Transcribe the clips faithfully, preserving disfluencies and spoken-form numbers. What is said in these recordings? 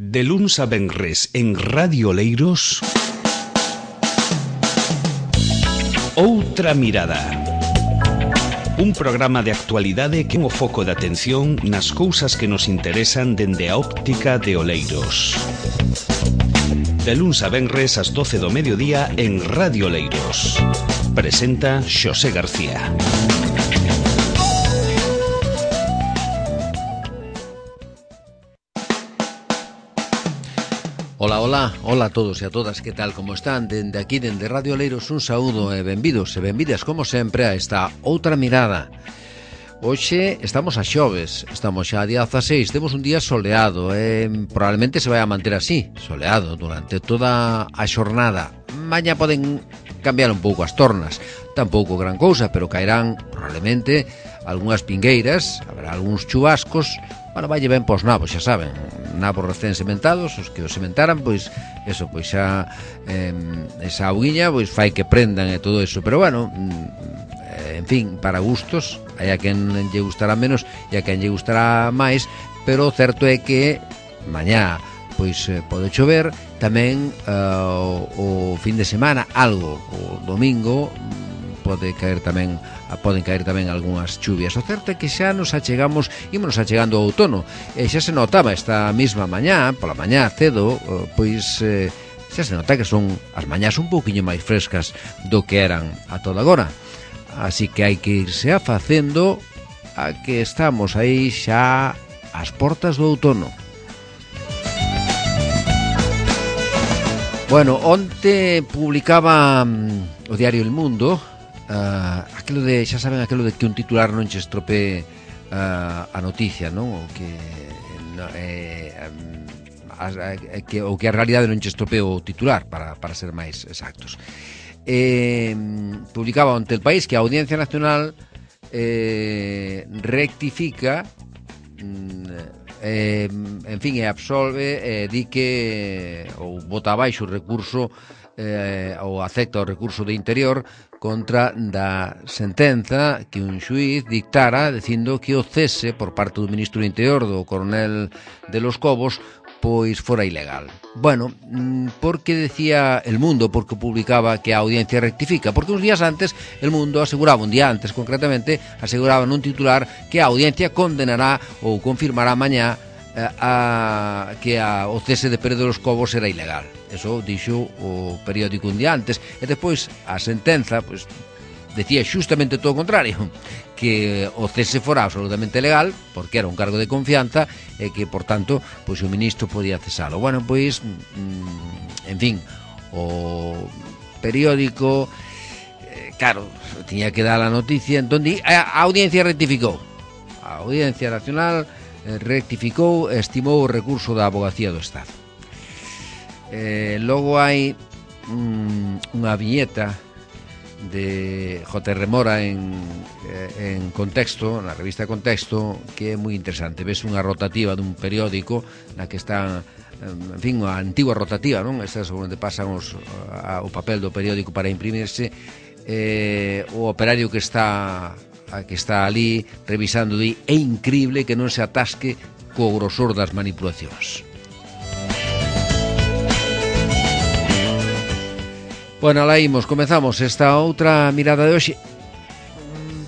De luns a venres en Radio Oleiros, Outra Mirada. Un programa de actualidade que é o foco de atención nas cousas que nos interesan dende a óptica de Oleiros. De luns a venres ás doce do mediodía en Radio Oleiros. Presenta Xosé García. Ola, ola, ola a todos e a todas, que tal, como están? Dende aquí, dende Radio Oleiros, un saúdo e benvidos e benvidas, como sempre, a esta Outra Mirada. Hoxe estamos a xoves, estamos xa a día dezaseis, temos un día soleado e probablemente se vai a manter así, soleado, durante toda a xornada. Mañá poden cambiar un pouco as tornas, tampouco gran cousa, pero caerán probablemente algunhas pingueiras, haberá algúns chubascos. Bueno, vai ben pos nabos, xa saben, nabos recén sementados, os que os sementaran, pois, eso, pois xa, eh, esa auguiña, pois fai que prendan e todo eso, pero bueno, eh, en fin, para gustos, hai a quen lle gustará menos e a quen lle gustará máis, pero o certo é que mañá, pois, eh, pode chover, tamén uh, o, o fin de semana, algo, o domingo, pode caer tamén poden caer tamén algunhas chuvias. O certo é que xa nos achegamos, ímonos achegando ao outono, e xa se notaba esta mesma mañá, pola mañá cedo, pois eh, xa se nota que son as mañás un pouquiño máis frescas do que eran a toda agora. Así que hai que irse afacendo a que estamos aí xa ás portas do outono. Bueno, onte publicaba um, o diario El Mundo Uh, aquilo de, xa saben, aquilo de que un titular non che estropee uh, a noticia, non? O que no, eh, a, a, que, o que a realidade non che estropee o titular, para, para ser máis exactos. Eh, publicaba onte El País que a Audiencia Nacional eh, rectifica, eh, en fin, e absolve, eh, di que ou bota abaixo o recurso eh, ou acepta o recurso de Interior contra da sentenza que un xuiz dictara dicindo que o cese por parte do ministro do Interior, do coronel de Los Cobos, pois fora ilegal. Bueno, porque decía El Mundo, porque publicaba que a audiencia rectifica, porque uns días antes El Mundo aseguraba, un día antes concretamente, aseguraba nun titular que a audiencia condenará ou confirmará mañá a, que a, o cese de Pérez de Los Cobos era ilegal. Eso dixo o periódico un día antes, e despois a sentenza pois, decía xustamente todo o contrario, que o cese fora absolutamente legal, porque era un cargo de confianza e que, por tanto, pois o ministro podía cesalo. Bueno, pois, en fin, o periódico, eh, claro, tiña que dar a noticia, entón a, a audiencia rectificou. A Audiencia Nacional eh, rectificou e estimou o recurso da Abogacía do Estado. Eh, logo hai um, unha viñeta de J R Mora en, eh, en Contexto, na revista Contexto, que é moi interesante. Ves unha rotativa dun periódico na que están, en fin, a antigua rotativa, non? Estas onde pasan os, a, o papel do periódico para imprimirse, eh, o operario que está a que está ali revisando, di, é incrible que non se atasque co grosor das manipulacións. Bueno, alá imos, comezamos esta outra mirada de hoxe.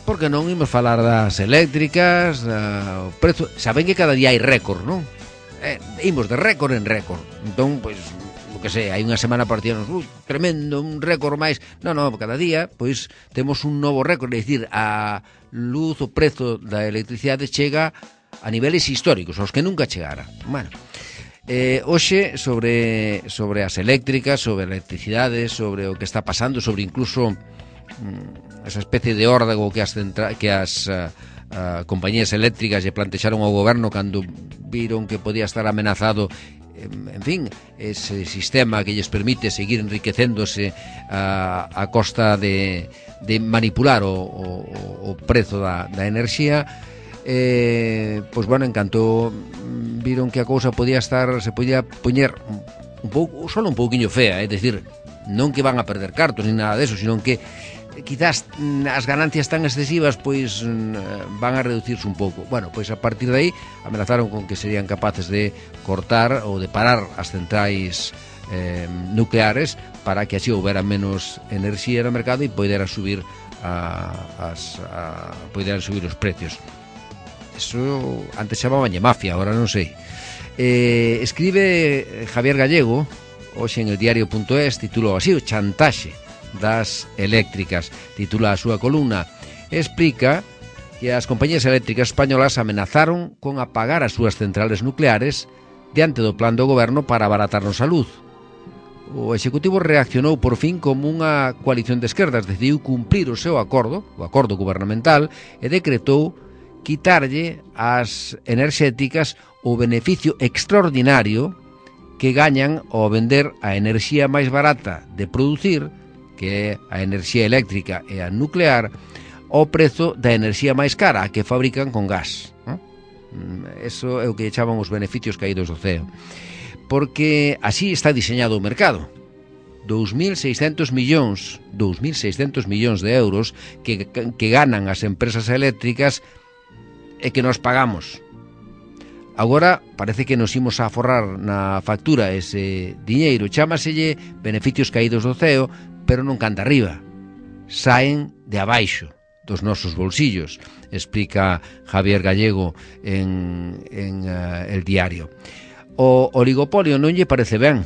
Porque non imos falar das eléctricas, da, o prezo. Saben que cada día hai récord, non? Eh, imos de récord en récord. Entón, pois, o que sei, hai unha semana partíanos, uh, tremendo, un récord máis. Non, non, cada día, pois, temos un novo récord. É dicir, a luz, o prezo da electricidade chega a niveles históricos, aos que nunca chegara. Bueno, Eh, hoxe sobre, sobre as eléctricas, sobre a electricidade, sobre o que está pasando, sobre incluso mm, esa especie de órdago que as, centra, que as uh, uh, compañías eléctricas lle plantexaron ao goberno cando viron que podía estar amenazado, en, en fin, ese sistema que lles permite seguir enriquecéndose uh, a costa de, de manipular o, o, o prezo da, da enerxía. Eh, pois bueno, en canto viron que a cousa podía estar, se podía poñer un pouco, só un pouquiño fea, é dicir, non que van a perder cartos ni nada deso, sino que quizás as ganancias tan excesivas pois van a reducirse un pouco. Bueno, pois a partir de aí amenazaron con que serían capaces de cortar ou de parar as centrais eh, nucleares para que así houbera menos enerxía no mercado e poidera subir a, as, a, poidera subir os precios. Eso antes chamabanlle mafia, agora non sei. Eh, escribe Javier Gallego hoxe en el diario punto es, titulou así: o chantaxe das eléctricas, titula a súa columna, e explica que as compañías eléctricas españolas amenazaron con apagar as súas centrales nucleares diante do plan do goberno para abaratarnos a luz. O Executivo reaccionou por fin como unha coalición de esquerdas, decidiu cumprir o seu acordo, o acordo gubernamental, e decretou quitarlle ás enerxéticas o beneficio extraordinario que gañan ao vender a enerxía máis barata de producir, que é a enerxía eléctrica e a nuclear, ao prezo da enerxía máis cara, a que fabrican con gas. Eso é o que chaman os beneficios caídos do ceo. Porque así está diseñado o mercado. dous mil seiscentos millóns, dous mil seiscentos millóns de euros que, que ganan as empresas eléctricas e que nos pagamos. Agora parece que nos imos a aforrar na factura ese diñeiro. Chámaselle beneficios caídos do ceo, pero non canta arriba. Saen de abaixo dos nosos bolsillos, explica Javier Gallego en, en uh, El Diario. O oligopolio non lle parece ben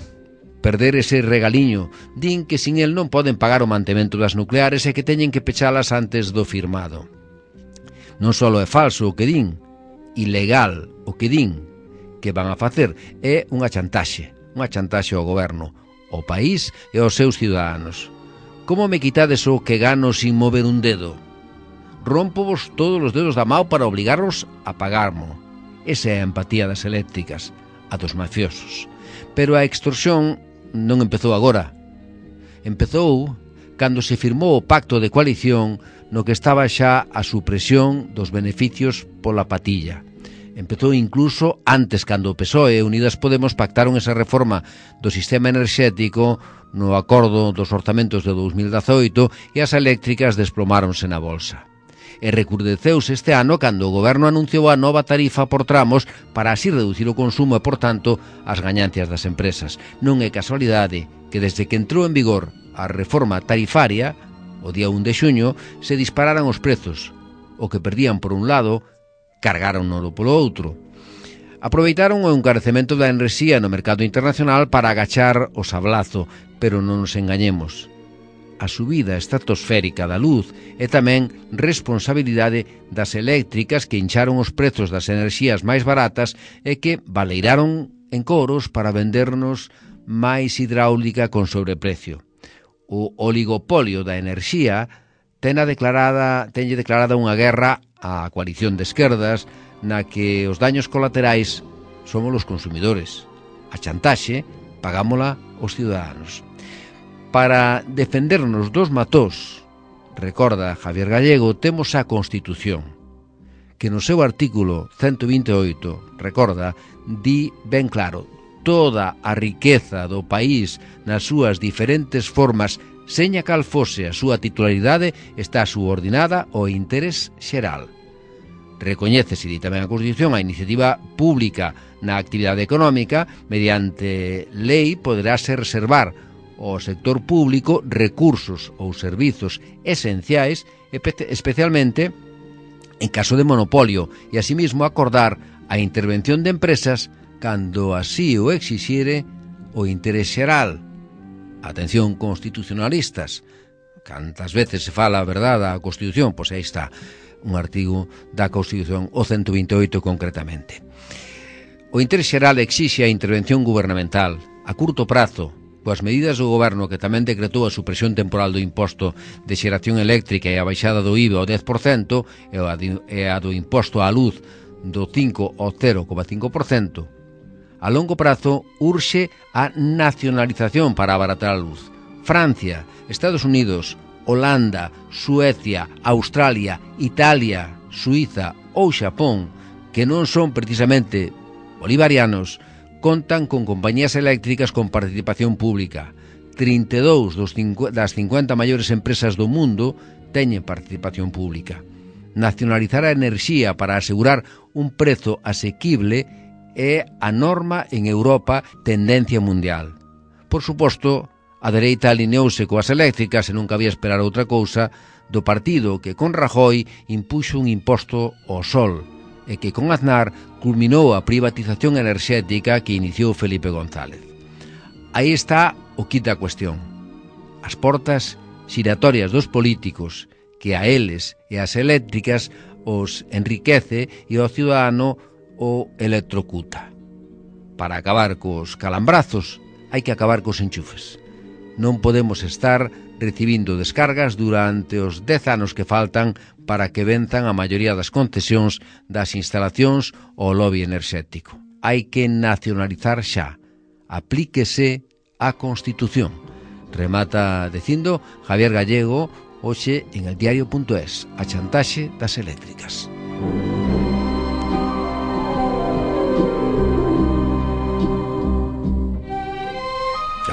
perder ese regaliño. Din que sin el non poden pagar o mantemento das nucleares e que teñen que pechalas antes do firmado. Non só é falso o que din, ilegal o que din que van a facer, é unha chantaxe, unha chantaxe ao goberno, ao país e aos seus ciudadanos. Como me quitades o que gano sin mover un dedo? Rómpovos todos os dedos da mao para obligarvos a pagarmo. Esa é a empatía das eléctricas, a dos mafiosos. Pero a extorsión non empezou agora. Empezou cando se firmou o pacto de coalición no que estaba xa a supresión dos beneficios pola patilla. Empezou incluso antes, cando o P S O E e Unidas Podemos pactaron esa reforma do sistema enerxético no acordo dos orzamentos de dous mil dezaoito e as eléctricas desplomáronse na bolsa. E recrudeceuse este ano cando o goberno anunciou a nova tarifa por tramos para así reducir o consumo e, por tanto, as gañancias das empresas. Non é casualidade que desde que entrou en vigor a reforma tarifaria, o día un de xuño, se dispararan os prezos. O que perdían por un lado, cargaron-no polo outro. Aproveitaron o encarecemento da enerxía no mercado internacional para agachar o sablazo, pero non nos engañemos. A subida estratosférica da luz é tamén responsabilidade das eléctricas que hincharon os prezos das enerxías máis baratas e que baleiraron en coros para vendernos máis hidráulica con sobreprecio. O oligopolio da enerxía tenha declarada, tenlle declarada unha guerra á coalición de esquerdas na que os daños colaterais somos os consumidores. A chantaxe pagámola os ciudadanos. Para defendernos dos matós, recorda Javier Gallego, temos a Constitución, que no seu artículo ciento vinte e oito, recorda, di ben claro, toda a riqueza do país nas súas diferentes formas, seña cal fose a súa titularidade, está subordinada ao interés xeral. Recoñécese, di tamén a Constitución, a iniciativa pública na actividade económica, mediante lei poderase reservar ao sector público recursos ou servizos esenciais, especialmente en caso de monopolio, e asimismo acordar a intervención de empresas cando así o exixiere o interés xeral. Atención, constitucionalistas, cantas veces se fala a verdade da Constitución, pois aí está un artigo da Constitución, o ciento vinte e oito concretamente. O interés xeral exixe a intervención gubernamental a curto prazo, coas medidas do goberno que tamén decretou a supresión temporal do imposto de xeración eléctrica e a baixada do I V A ao dez por cento e a do imposto á luz do cinco ao cero coma cinco por cento. A longo prazo urxe a nacionalización para abaratar a luz. Francia, Estados Unidos, Holanda, Suecia, Australia, Italia, Suiza ou Xapón, que non son precisamente bolivarianos, contan con compañías eléctricas con participación pública. trinta e dous dos cincuenta, das cincuenta maiores empresas do mundo teñen participación pública. Nacionalizar a enerxía para asegurar un prezo asequible é a norma en Europa, tendencia mundial. Por suposto, a dereita alineouse coas eléctricas e non cabía esperar outra cousa do partido que con Rajoy impuxo un imposto ao sol e que con Aznar culminou a privatización enerxética que iniciou Felipe González. Aí está o quid da cuestión. As portas xiratorias dos políticos que a eles e as eléctricas os enriquece e ao ciudadano o electrocuta. Para acabar cos calambrazos hai que acabar cos enchufes. Non podemos estar recibindo descargas durante os dez anos que faltan para que venzan a maioría das concesións das instalacións ao lobby enerxético. Hai que nacionalizar xa. Aplíquese a Constitución. Remata dicindo Javier Gallego hoxe en el diario punto es, a chantaxe das eléctricas.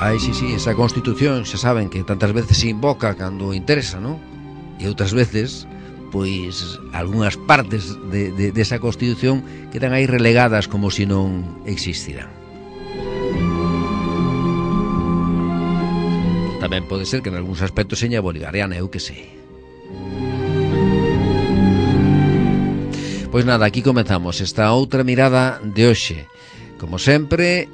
Ai, sí, sí, esa Constitución xa saben que tantas veces se invoca cando interesa, non? E outras veces, pois, algunhas partes de, de, de esa Constitución quedan aí relegadas como se non existiran. Tamén pode ser que en algúns aspectos seña bolivariana, eu que sei. Pois nada, aquí comezamos esta outra mirada de hoxe. Como sempre,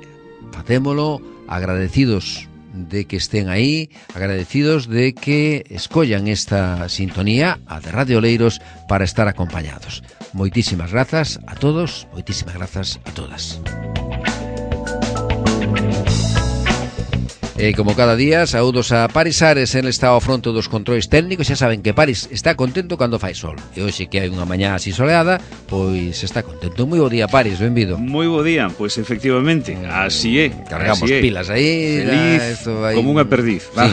facémolo agradecidos de que estén aí, agradecidos de que escollan esta sintonía, a de Radio Oleiros, para estar acompañados. Moitísimas grazas a todos, moitísimas grazas a todas. E como cada día, saúdos a Paris Ares, el está ao fronte dos controis técnicos. Xa saben que Paris está contento cando fai sol. E hoxe que hai unha mañá así soleada, pois está contento. Moi bo día, Paris, benvido. Moi bo día, pois efectivamente, así é. Cargamos así é. Pilas aí. Feliz, da, como unha perdiz. Sí.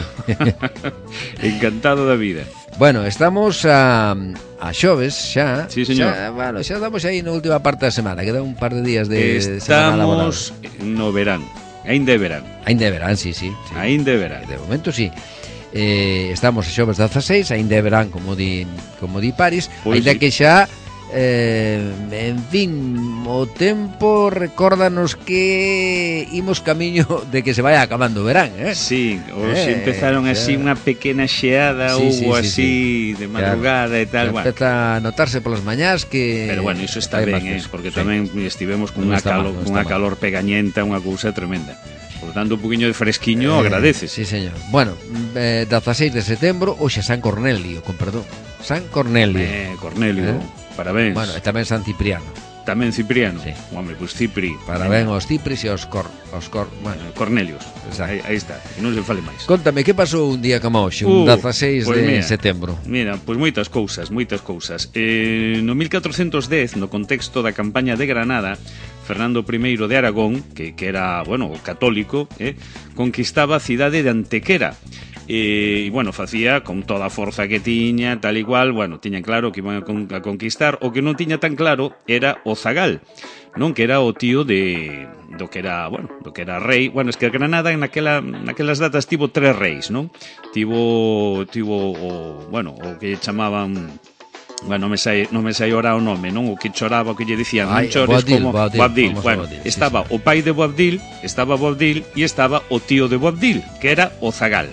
Encantado da vida. Bueno, estamos a, a xoves xa. Sí, señor. Xa, bueno, xa estamos aí na última parte da semana. Queda un par de días de semana laboral. Estamos no verán. Ainda é verán. Ainda é verán, sí, sí, sí. Ainda é verán. De momento, sí. Eh, estamos a xoves dezaseis, ainda é verán, como di, como di Paris, pues ainda sí. Que xa, eh, en fin, o tempo recórdanos que imos camiño de que se vaya acabando o verán, eh? Sí, hoxe eh, empezaron así unha pequena xeada, sí, ou sí, así, sí, sí. de madrugada, claro, e tal. Bueno. Empeza a notarse polas mañás que... Pero bueno, iso está ben, eh? Porque sí. Tamén estivemos con unha calor, con unha calor pegañenta, unha cousa tremenda. Por tanto, un poquinho de fresquiño eh, agradeces. Sí, señor. Bueno, eh, dezaseis de setembro, hoxe San Cornelio, con perdón. San Cornelio. Eh, Cornelio, eh? Parabéns. Bueno, e tamén San Cipriano. Tamén Cipriano. Sí. Hombre, pois pues Cipri. Parabéns aos Cipris e aos Cor, aos Cor, bueno, Cornelios. Aí, aí está. E non se fale máis. Contame, que pasou un día como hoxe, un uh, dezaseis pues de mira, setembro? Mira, pois pues moitas cousas, moitas cousas. Eh, no mil catrocentos dez, no contexto da campaña de Granada, Fernando primeiro de Aragón, que, que era, bueno, católico, eh, conquistaba a cidade de Antequera. E, bueno, facía con toda a forza que tiña, tal igual, bueno, tiñan claro que iban a, con, a conquistar. O que non tiña tan claro era o zagal, non, que era o tío de do que era, bueno, do que era rei. Bueno, es que Granada naquela naquelas datas tivo tres reis, non? Tivo tivo o, bueno, o que chamaban, bueno, non me sai, non me sai ora o nome, non? O que choraba, o que lle dicían, non chores, como Boabdil. Boabdil. Bueno, Boabdil, estaba sí, sí. O pai de Boabdil, estaba Boabdil e estaba o tío de Boabdil, que era o zagal.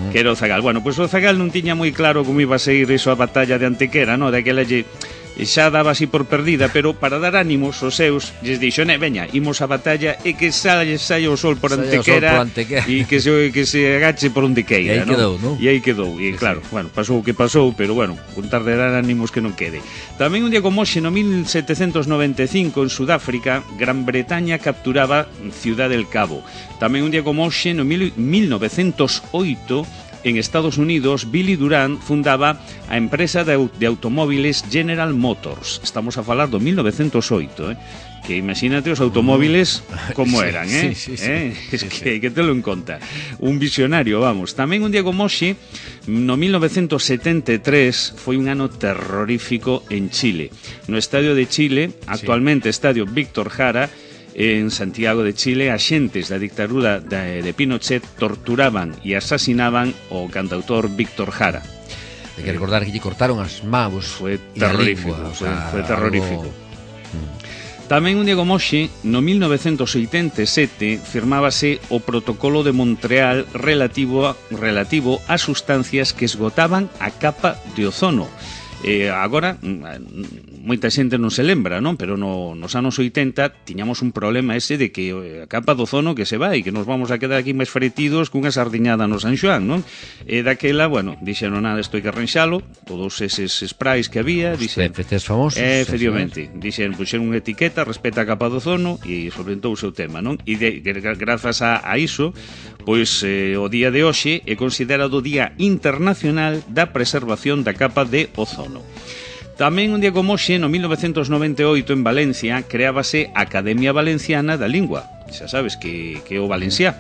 Que era o zagal. Bueno, pois pues o zagal non tiña moi claro como iba a seguir iso a batalla de Antequera, no? Daquela lle xa daba así por perdida, pero para dar ánimos aos seus, lles dixo, ne, veña, imos a batalla e que saia, saia o sol por Antequera e que se, que se agache por onde queira, e aí ¿no? quedou, non? E aí quedou, e claro, sí. Bueno, pasou o que pasou, pero bueno, contar de dar ánimos que non quede. Tamén un día como hoxe, no mil setecentos noventa e cinco, en Sudáfrica, Gran Bretaña capturaba Ciudad del Cabo. Tamén un día como hoxe, no mil novecentos oito, en Estados Unidos, Billy Durant fundaba a empresa de, de automóviles General Motors. Estamos a falar do mil novecentos oito, eh? Que imagínate os automóviles como sí, eran, eh? Sí, sí, sí. eh? Es sí, que, sí. Que te lo en conta. Un visionario, vamos. Tamén un día como hoxe, no mil novecentos setenta e tres, foi un ano terrorífico en Chile. No estadio de Chile, actualmente sí. Estadio Víctor Jara, En Santiago de Chile, axentes da dictadura de, de Pinochet torturaban e asasinaban o cantautor Víctor Jara. Hay que recordar que lle cortaron as mãos. Foi terrorífico, lingua, foi, o sea, foi terrorífico. Algo... Tamén un día como hoxe, no mil novecentos oitenta e sete, firmábase o Protocolo de Montreal relativo a, relativo a sustancias que esgotaban a capa de ozono. Eh, agora, moita xente non se lembra, non? Pero no, nos anos oitenta tiñamos un problema ese de que a capa do ozono que se vai, que nos vamos a quedar aquí máis fretidos cunha sardiñada no San Xoán, non? E daquela, bueno, dixeron nada, isto hai que arranxalo, todos eses sprays que había, dixen... Os P F Cs famosos. Eh, efectivamente, dixen, puxeron unha etiqueta, respeta a capa do ozono e solventou o seu tema, non? E de, grazas a, a iso, pois eh, o día de hoxe é considerado o Día Internacional da Preservación da Capa de Ozono. Tamén un día como hoxe, no mil novecentos noventa e oito, en Valencia, creábase a Academia Valenciana da Lingua. Xa sabes que, que é o valenciá.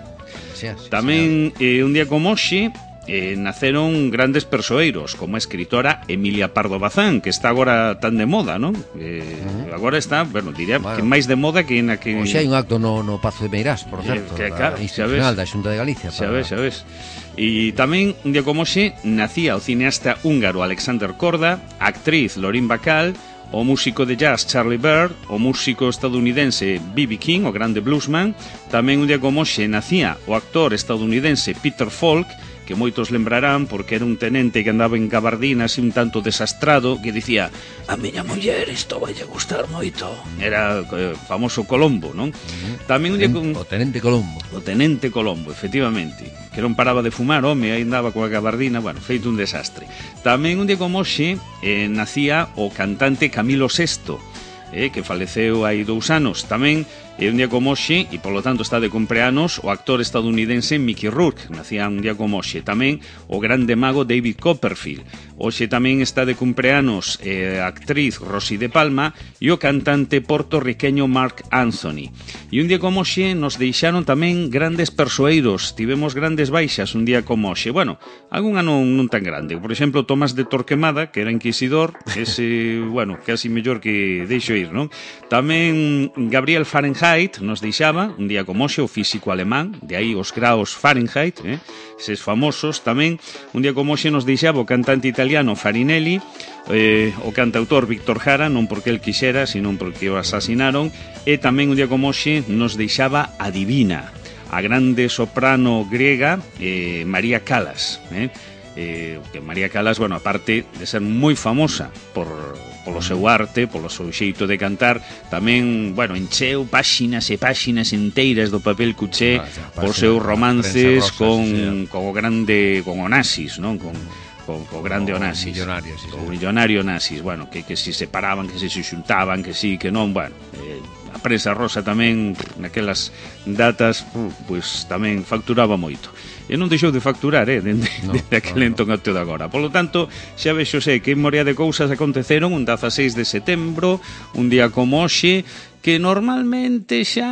Sí, sí, Tamén eh, un día como hoxe, eh, naceron grandes persoeiros, como a escritora Emilia Pardo Bazán, que está agora tan de moda, non? Eh, uh-huh. Agora está, bueno, diría bueno, que máis de moda que na que... Hoxe hai un acto no, no Pazo de Meirás, por certo, que, claro, da institucional da Xunta de Galicia. Xa ves, xa ves. E tamén, un día como hoxe, nacía o cineasta húngaro Alexander Korda, a actriz Lorín Bacall, o músico de jazz Charlie Bird, o músico estadounidense B B King, o grande bluesman. Tamén un día como hoxe nacía o actor estadounidense Peter Falk, que moitos lembrarán porque era un tenente que andaba en gabardina así un tanto desastrado, que dicía: a miña muller isto vai a gustar moito. Era eh, famoso Colombo, non? Uh-huh. Tamén un día con... O tenente Colombo. O tenente Colombo, efectivamente, que non paraba de fumar, home, aí andaba coa gabardina, bueno, feito un desastre. Tamén un día como hoxe eh, nacía o cantante Camilo Sesto, eh, que faleceu hai dous anos. Tamén é un día como hoxe, e polo tanto está de cumpleanos, o actor estadounidense Mickey Rourke, nacía un día como hoxe. Tamén o grande mago David Copperfield. Hoxe tamén está de cumpleanos eh, a actriz Rosy de Palma e o cantante portorriqueño Mark Anthony. E un día como hoxe nos deixaron tamén grandes persoeiros, tivemos grandes baixas un día como hoxe. Bueno, algunha non, non tan grande. Por exemplo, Tomás de Torquemada, que era inquisidor, ese, bueno, casi mellor que deixo ir, non? Tamén Gabriel Fahrenheit nos deixaba un día como hoxe, o físico alemán, de aí os graos Fahrenheit, eh? Eses famosos. Tamén un día como hoxe nos deixaba o cantante italiano Farinelli, eh, o cantautor Víctor Jara, non porque el quixera, sino porque o asasinaron. E tamén un día como hoxe nos deixaba a divina, a grande soprano griega eh, María Callas, eh? Eh, que María Callas, bueno, aparte de ser moi famosa por polo seu arte, polo seu xeito de cantar, tamén, bueno, encheu páxinas e páxinas enteiras do papel cuché ah, por seus romances rosa, con, sí, con o grande, con Onassis, non? Con co, co grande Onassis, millonario, sí, o millonario Onassis, bueno, que, que si separaban, que se xuntaban, que sí, que non, bueno, eh, a prensa rosa tamén naquelas datas, pois tamén facturaba moito. E non deixou de facturar, eh, dende, no, dende aquel no, entón até de agora. Por lo tanto, xa vexo sei que en morea de cousas aconteceron un dezaseis de setembro, un día como hoxe, que normalmente xa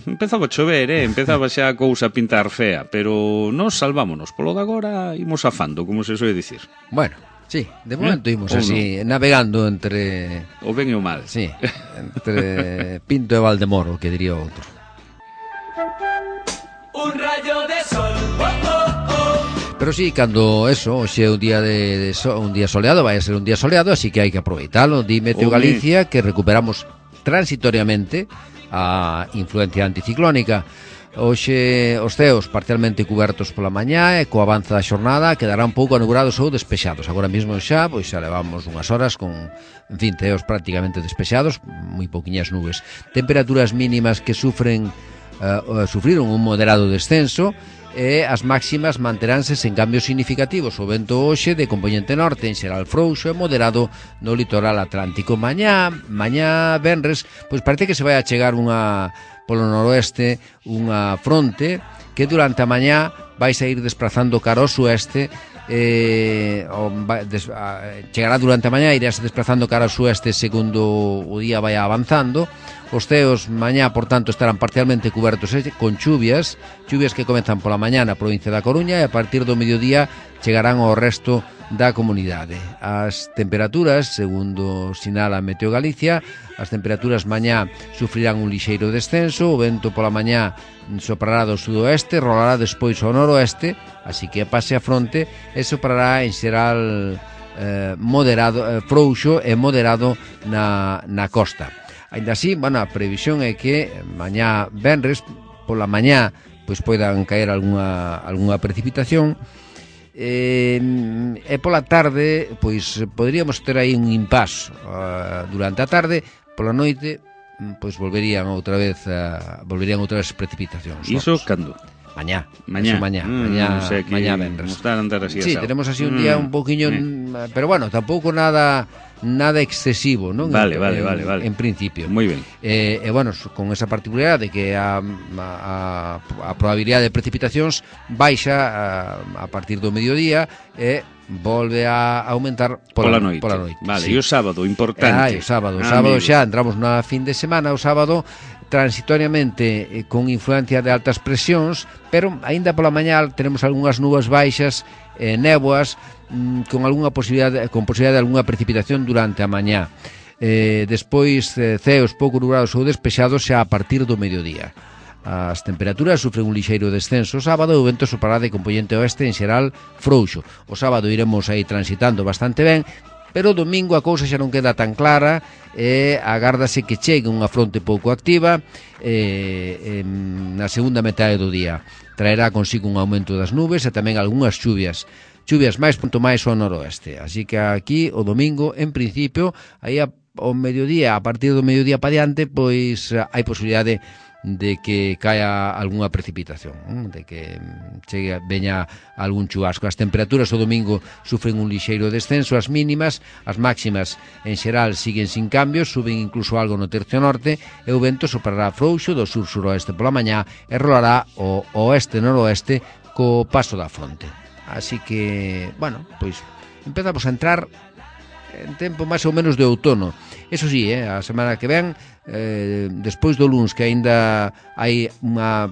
empezaba a chover, eh? Empezaba xa a cousa a pintar fea, pero nos salvámonos. Polo de agora imos afando, como se soe dicir. Bueno, sí, de momento imos ¿Eh? así, no? navegando entre... O ben e o mal. Sí, entre Pinto e Valdemoro, que diría outro. Un rayo de sol, oh, oh, oh. Pero sí, cando eso, hoxe é un día de, de so, un día soleado, vai a ser un día soleado, así que hai que aproveitalo. Di Meteo Galicia que recuperamos transitoriamente a influencia anticiclónica. Hoxe os ceos parcialmente cubertos pola mañá e co avanza da xornada quedarán pouco anubrados ou despexados. Agora mesmo xa, pois xa levamos unhas horas con, en fin, ceos prácticamente despexados, moi pouquiñas nubes. Temperaturas mínimas que sufren Uh, sufriron un moderado descenso e as máximas manteránse sen cambios significativos. O vento hoxe de componente norte en xeral frouxo e moderado no litoral atlántico. Mañá, mañá venres, pois parece que se vai a chegar unha polo noroeste unha fronte que durante a mañá vai a ir desprazando cara ao sueste. Eh, o, des, a, chegará durante a mañá, irase desplazando cara ao sueste segundo o día vai avanzando. Os ceos mañá, por tanto, estarán parcialmente cubertos eh, con chuvias, chuvias que comezan pola mañá na provincia da Coruña e a partir do mediodía chegarán ao resto da comunidade. As temperaturas, segundo sinala Meteo Galicia, as temperaturas mañá sufrirán un lixeiro descenso, o vento pola mañá soprará do sudoeste, rolará despois ao noroeste, así que pase a fronte e soprará en xeral eh, moderado, eh, frouxo e moderado na, na costa. Ainda así, bueno, a previsión é que mañá venres pola mañá pois poidan caer algunha, algunha precipitación e, e pola tarde pois poderíamos ter aí un impás uh, durante a tarde, pola noite pois volverían outra vez uh, volverían outra vez precipitacións. Iso cando? Mañá, mañá, mañá, mm, mañá, o sea que mañá venres. Así sí, tenemos así un día mm, un poquinho, mm. pero bueno, tampouco nada nada excesivo, non? Vale, en, vale, en, vale, vale. En principio. Moi ben. Eh, e, bueno, con esa particularidade de que a, a, a probabilidade de precipitacións baixa a, a partir do mediodía e volve a aumentar pola, pola noite. Pola noite. Vale, sí. E o sábado, importante. Ah, o sábado, o ah, sábado amigo. xa entramos na fin de semana, o sábado transitoriamente eh, con influencia de altas presións, pero aínda pola mañá tenemos algunhas nubes baixas, eh, néboas, mm, con algunha posibilidade, con posibilidade de algunha precipitación durante a mañá. Eh, despois eh, ceos pouco nublados ou despexados xa a partir do mediodía. As temperaturas sufren un lixeiro descenso o sábado e o vento soprará de componente oeste en xeral frouxo. O sábado iremos aí transitando bastante ben, pero o domingo a cousa xa non queda tan clara e agárdase que chegue unha fronte pouco activa e, en, na segunda metade do día. Traerá consigo un aumento das nubes e tamén algunhas chuvias. Chuvias máis punto máis ao noroeste. Así que aquí o domingo, en principio, aí ao mediodía, a partir do mediodía pa diante, pois hai posibilidade de que caia algunha precipitación, de que chegue, veña algún chubasco. As temperaturas o domingo sufren un lixeiro descenso, as mínimas, as máximas en xeral siguen sin cambios, suben incluso algo no tercio norte e o vento soprará frouxo do sur-suroeste pola mañá e rolará o oeste-noroeste co paso da fronte. Así que, bueno, pois empezamos a entrar en tempo máis ou menos de outono. Eso sí, eh, a semana que ven, eh, despois do luns, que aínda hai unha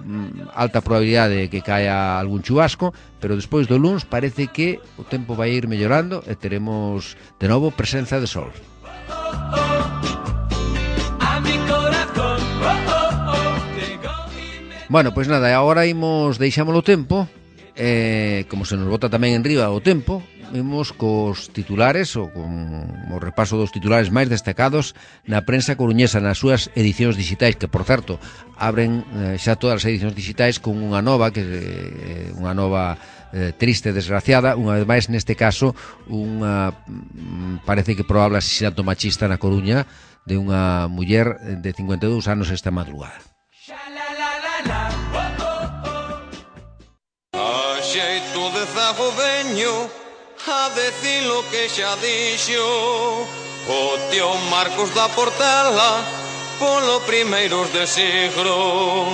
alta probabilidade de que caia algún chubasco, pero despois do luns parece que o tempo vai ir mellorando e teremos de novo presenza de sol. Bueno, pois nada, agora imos deixámolo tempo, eh, como se nos bota tamén en riba o tempo, imos cos titulares ou con o repaso dos titulares máis destacados na prensa coruñesa nas súas edicións digitais, que por certo abren eh, xa todas as edicións digitais con unha nova que eh, unha nova eh, triste, desgraciada, unha vez máis neste caso unha parece que probable asesinato machista na Coruña de unha muller de cincuenta e dous anos esta madrugada. A xeito de zago veño a decir lo que xa dixo o tío Marcos da Portela polo primeiros de siglo,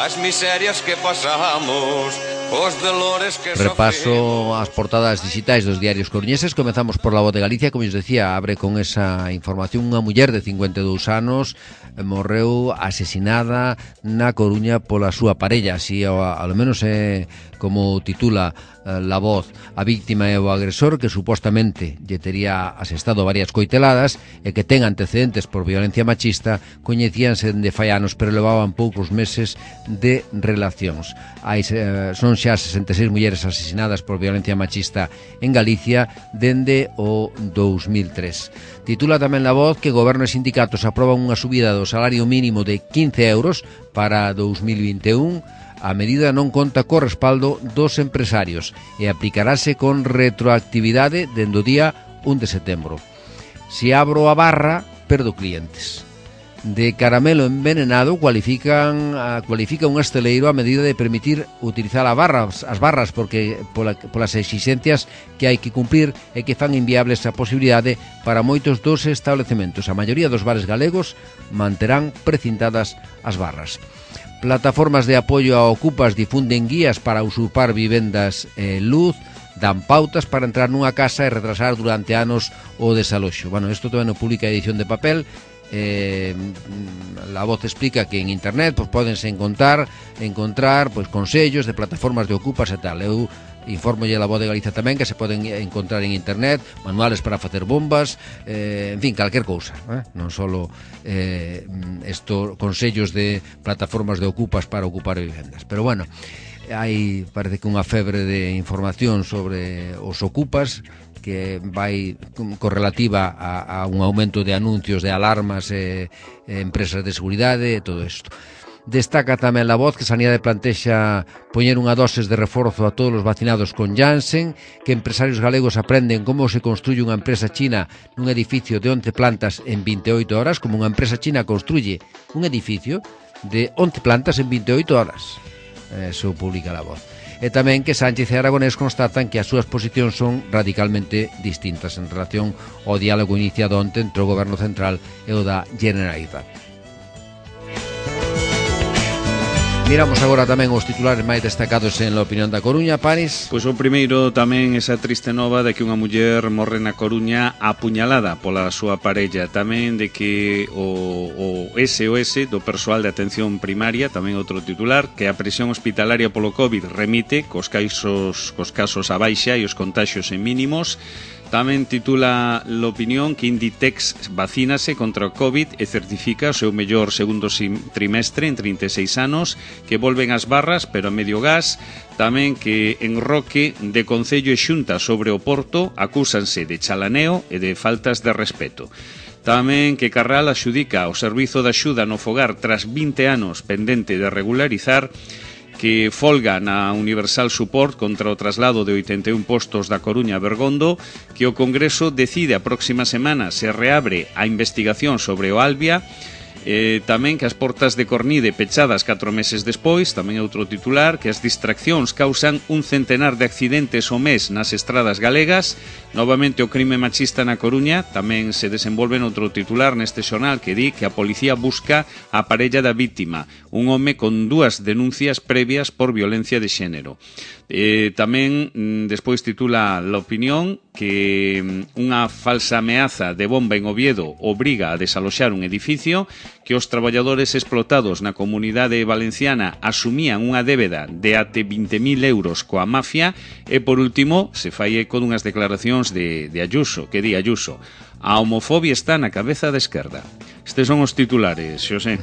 as miserias que pasamos, os dolores que repaso sofrimos. as portadas digitais dos diarios coruñeses. Comezamos por La Voz de Galicia, como os decía, abre con esa información. Unha muller de cincuenta e dous anos morreu asesinada na Coruña pola súa parella, así ao, ao menos é como titula eh, La Voz. A víctima é o agresor, que supostamente lle tería asestado varias coiteladas e que ten antecedentes por violencia machista. Coñecíanse dende fai anos, pero levaban poucos meses de relacións. Hai, eh, son xa sesenta e seis mulleres asesinadas por violencia machista en Galicia dende o dous mil tres. Titula tamén La Voz que goberno e sindicatos aproban unha subida do salario mínimo de quince euros para dous mil vinte e un. A medida non conta co respaldo dos empresarios e aplicarase con retroactividade dende o día un de setembro. Se abro a barra, perdo clientes. De caramelo envenenado cualifican a, cualifica un hosteleiro a medida de permitir utilizar a barras, as barras porque pola, polas exigencias que hai que cumprir e que fan inviables a posibilidade para moitos dos establecementos. A maioría dos bares galegos manterán precintadas as barras. Plataformas de apoio a ocupas difunden guías para usurpar vivendas e luz, dan pautas para entrar nunha casa e retrasar durante anos o desaloxo. Bueno, isto tamén o publica a edición de papel. Eh, La Voz explica que en internet pues, podense encontrar encontrar pues, consellos de plataformas de ocupas e tal. Eu Informolle a Voz de Galicia tamén que se poden encontrar en internet, manuales para facer bombas, eh, en fin, calquer cousa, eh? Non só eh, estos consellos de plataformas de ocupas para ocupar vivendas. Pero bueno, hai parece que unha febre de información sobre os ocupas que vai correlativa a, a un aumento de anuncios de alarmas e, e empresas de seguridade e todo isto. Destaca tamén La Voz que Sanidade plantexa poñer unha doses de reforzo a todos os vacinados con Janssen, que empresarios galegos aprenden como se construye unha empresa china nun edificio de once plantas en vinte e oito horas, como unha empresa china construye un edificio de once plantas en vinte e oito horas. Eso publica La Voz. E tamén que Sánchez e Aragonés constatan que as súas posicións son radicalmente distintas en relación ao diálogo iniciado onte entre o Goberno Central e o da Generalitat. Miramos agora tamén os titulares máis destacados en La Opinión da Coruña, Paris. Pois o primeiro tamén esa triste nova de que unha muller morre na Coruña apuñalada pola súa parella. Tamén de que o, o S O S do persoal de atención primaria, tamén outro titular, que a presión hospitalaria polo COVID remite, cos casos, cos casos a baixa e os contaxios en mínimos. Tamén titula l'opinión que Inditex vacínase contra o COVID e certifica o seu mellor segundo trimestre en trinta e seis anos, que volven as barras pero a medio gas. Tamén que en Roque de Concello e Xunta sobre o Porto acúsanse de chalaneo e de faltas de respeto. Tamén que Carral axudica o servizo de axuda no fogar tras vinte anos pendente de regularizar, que folga na Universal Support contra o traslado de oitenta e un postos da Coruña a Bergondo, que o Congreso decide a próxima semana se reabre a investigación sobre o Albia, eh, tamén que as portas de Cornide pechadas catro meses despois, tamén outro titular, que as distraccións causan un centenar de accidentes ao mes nas estradas galegas. Novamente o crime machista na Coruña, tamén se desenvolve noutro titular neste xornal que di que a policía busca a parella da vítima, un home con dúas denuncias previas por violencia de xénero. Eh, tamén despois titula La Opinión que unha falsa ameaza de bomba en Oviedo obriga a desaloxar un edificio, que os traballadores explotados na comunidade valenciana asumían unha débeda de até vinte mil euros coa mafia. E por último se fai eco dunhas declaracións de, de Ayuso, que di Ayuso: a homofobia está na cabeza da esquerda. Estes son os titulares, Xosé.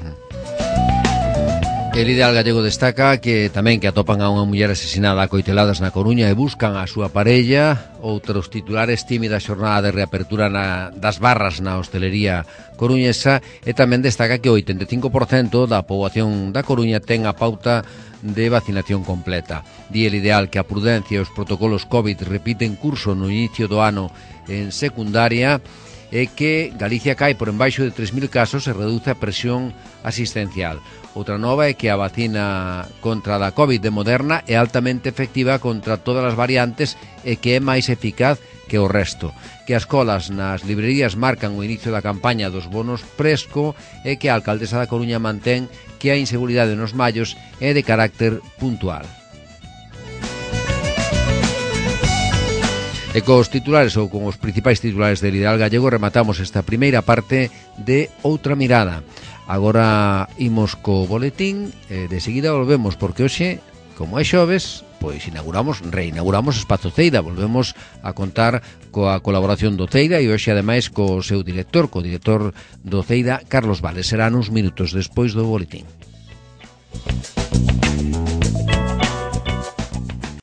El Ideal Gallego destaca que tamén que atopan a unha muller asesinada a coiteladas na Coruña e buscan a súa parella. Outros titulares: tímida xornada de reapertura na, das barras na hostelería coruñesa. E tamén destaca que o oitenta e cinco por cento da poboación da Coruña ten a pauta de vacinación completa. Di El Ideal que a prudencia e os protocolos COVID repiten curso no inicio do ano en secundaria, e que Galicia cae por embaixo de tres mil casos e reduce a presión asistencial. Outra nova é que a vacina contra a COVID de Moderna é altamente efectiva contra todas as variantes e que é máis eficaz que o resto. Que as colas nas librerías marcan o inicio da campaña dos bonos Presco e que a alcaldesa da Coruña mantén que a inseguridade nos mallos é de carácter puntual. E cos titulares ou con os principais titulares del Ideal Gallego rematamos esta primeira parte de Outra Mirada. Agora imos co boletín e de seguida volvemos, porque hoxe, como é xoves, pois inauguramos, reinauguramos Espazo Ceida. Volvemos a contar coa colaboración do Ceida e hoxe ademais co seu director, co director do Ceida, Carlos Vales. Será uns minutos despois do boletín.